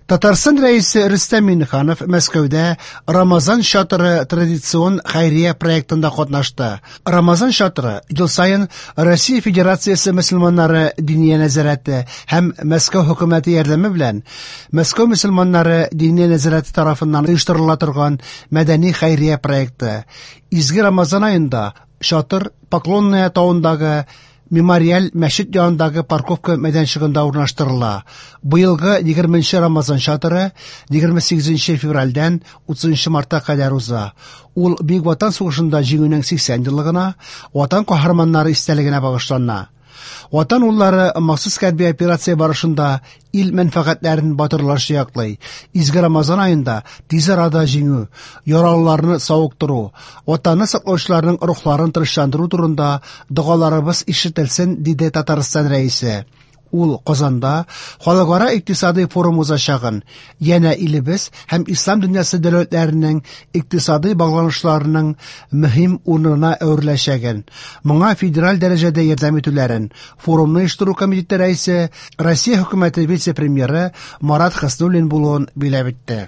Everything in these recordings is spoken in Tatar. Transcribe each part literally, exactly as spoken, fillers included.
Татарстан Рәисе Рөстәм Миңнеханов Мәскәүдә Рамазан чатыры традицион хәйрия проектында катнашты. Рамазан чатыры ел саен Россия Федерациясе мөселманнары Диния нәзарәте һәм Мәскәү хөкүмәте ярдәме белән Мәскәү мөселманнары Диния нәзарәте тарафыннан оештырыла торган мәдәни хәйрия проекты. Изге Рамазан аенда чатыр Поклонная тавындагы Мемориаль мәчет янындагы парковка мәйданчыгында урнаштырыла. Быелгы егерменче Рамазан чатыры егерме сигезенче февральдән утызынчы мартка кадәр уза. Ул Бөек Ватан сугышында җиңүнең сиксән еллыгына, Ватан каһарманнары истәлегенә багышлана. Ватан уллары махсус хәрби операция барышында ил мәнфәгатьләрен батырларча яклый. Изге Рамазан аенда тиз арада җиңү, яралыларны савыктыру, Ватанны саклаучыларның рухларын тынычландыру турында догаларыбыз ишетелсен, диде Татарстан Рәисе. Ул Казанда халыкара икътисади форум узачагын, янә илебез һәм ислам дөньясы дәүләтләренең икътисади багланышларының мөһим урынына әвереләчәген, моңа федераль дәрәҗәдә ярдәм итүләрен форумны оештыру комитеты рәисе, Россия хөкүмәте вице-премьеры Марат Хөснуллин булуын биләп итте.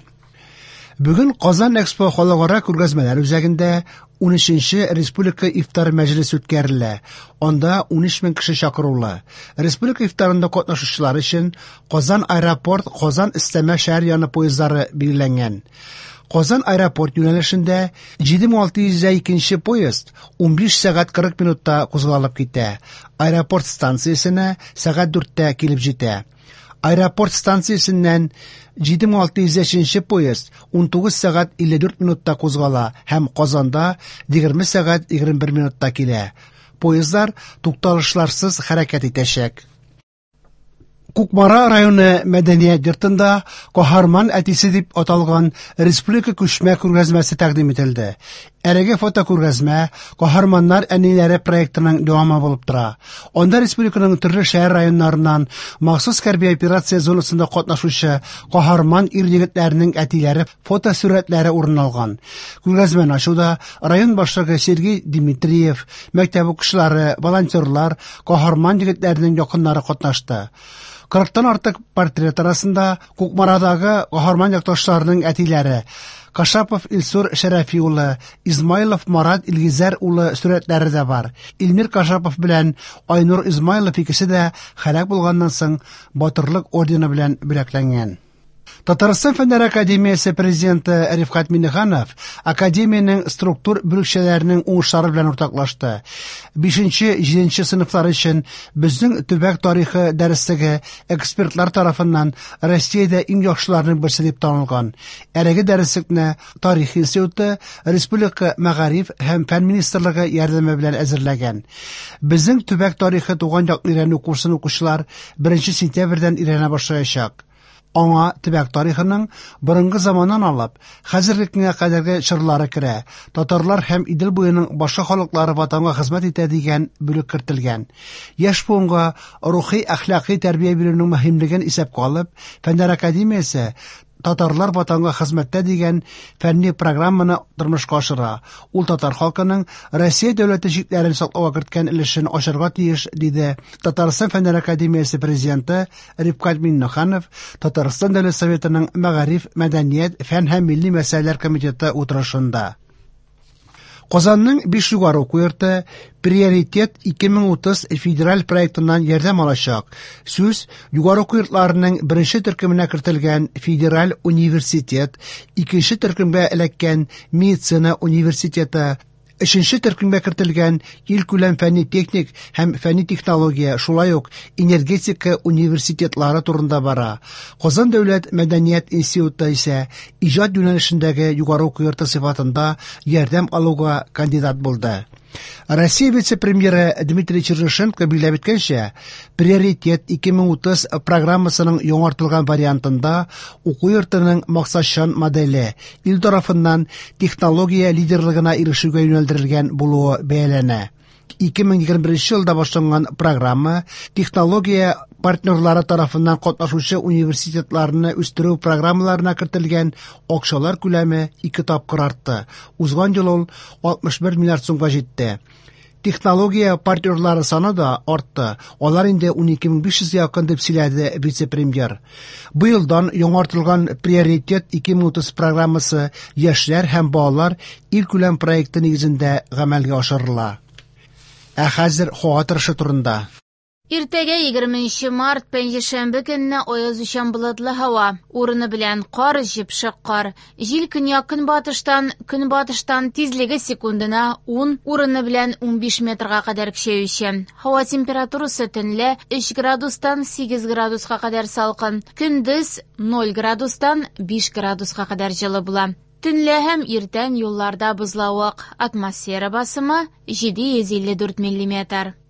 Бүген Казан Экспо халыкара күргәзмәләр үзәгендә унөченче республика ифтар мәҗлесе үткәрелә. Анда унөч мең кеше чакырулы. Республика ифтарында катнашучылар өчен Казан аэропорт, Казан өстәмә шәһәр яны поездлары билгеләнгән. Казан аэропорт юнәлешендә җиде мең алты йөз икенче поезд унбиш сәгать кырык минутта кузгалып китә. Аэропорт станциясенә сәгать дүрттә килеп җитә. Аэропорт станциясеннән җиде мең алты йөз өченче поезд унтугыз сәгать илле дүрт минутта кузгала һәм Казанда егерме сәгать егерме бер минутта килә. Поездлар тукталышларсыз хәрәкәт итәчәк. Кукмара районы мәдәният йортында Каһарман әтисе дип аталган республика күчмә күргәзмәсе тәкъдим ителде. Әлеге фотокүргәзмә Каһарманнар әниләре проектының дәвамы булып тора. Анда республиканың төрле шәһәр районнарыннан махсус хәрби операция зонасында катнашучы каһарман ир-егетләрнең әтиләре фотосурәтләре урын алган. Күргәзмәне ачуда район башлыгы Сергей Дмитриев, мәктәп укучылары, волонтерлар, каһарман егетләрнең якыннары катнашты. Кырыктан артык портрет арасында Кукмарадагы каһарман якташларының әтиләре Кашапов Илсур Шәрәфи улы, Измайлов Марат Илгизәр улы сурәтләре дә бар. Илмир Кашапов белән Айнур Измайлов икесе дә һәлак булганнан соң Батырлык ордены белән бүләкләнгән. Татарстан Фәннәр Академиясе президенты Рифкать Миңнеханов академиянең структур бүлекчәләренең уңышлары белән уртаклашты. Бишенче, җиденче сыйныфлар өчен безнең төбәк тарихы дәреслеге экспертлар тарафыннан Россиядә иң яхшыларның берсе дип танылган. Әлеге дәреслекне Тарих институты Республика Мәгариф һәм Фән министрлыгы ярдәме белән әзерләгән. Безнең төбәк тарихы туган якны өйрәнү курсын укучылар беренче сентябрьдән өйрәнә башлаячак. Аңа төбәк тарихының борынгы заманнан алып, хәзерге көнгә кадәрге чорлары керә. Татарлар һәм Идел буеның башка халыклары ватанга хезмәт итә дигән бүлек кертелгән. Яшь буынга рухи әхлакый тәрбия бирүнең мөһимлеген исәпкә алып, Фәннәр академиясе Татарлар ватанга хезмәттә дигән фәнни программаны тормышка ашыра. Ул татар халкының Россия дәүләте чикләрен саклауга керткән өлешен ачарга тиеш, диде Татарстан Фәннәр академиясе президенты Рифкать Миңнеханов Татарстан Дәүләт Советының Мәгариф, Мәдәният, Фән һәм Милли мәсьәләләр комитеты утырышында. Казанның биш югары уку йорты Приоритет ике мең утыз федераль проектыннан ярдәм алачак. Сүз югары уку йортларының беренче төркеменә кертелгән Федераль университет, икенче төркемгә эләккән Медицина университеты, өченче төркемгә кертелгән илкүләм фәнни-техник һәм фәнни-технология, шулай ук энергетика университетлары турында бара. Казан дәүләт мәдәният институты исә иҗат юнәлешендәге югары уку йорты сыйфатында ярдәм алуга кандидат булды. Россия вице-премьеры Дмитрий Чернышенко билгеләп үткәнчә, Приоритет ике мең утыз программасының яңартылган вариантында уку йортының максатчан моделе ил тарафыннан технология лидерлыгына ирешүгә юнәлдерелгән булуы бәяләнә. Ике мең егерме беренче елда башланган программа технология партнерлары тарафыннан катнашучы университетларны үстерү программаларына кертелгән акчалар күләме ике тапкыр артты. Узган ел ул алтмыш бер миллиард сумга җитте. Технология партнерлары саны да артты. Алар инде унике мең биш йөзгә якын, дип сөйләде вице-премьер. Быелдан яңартылган Приоритет ике мең утыз программасы яшьләр һәм балалар илкүләм проекты нигезендә гамәлгә ашырыла. Ә хәзер һава торышы турында. Иртәгә егерменче март пәнҗешәмбе көнне аязучан болытлы һава, урыны белән кар, җепшек кар. Җил көньяк-көнбатыштан, көнбатыштан тизлеге секундына ун, урыны белән унбиш метрга кадәр көчәюче. Һава температурасы төнлә өч градустан сигез градуска кадәр салкын, көндез ноль градустан биш градуска кадәр җылы була. Төнлә һәм иртән юлларда бозлавык, атмосфера басымы җиде йөз илле дүрт миллиметр.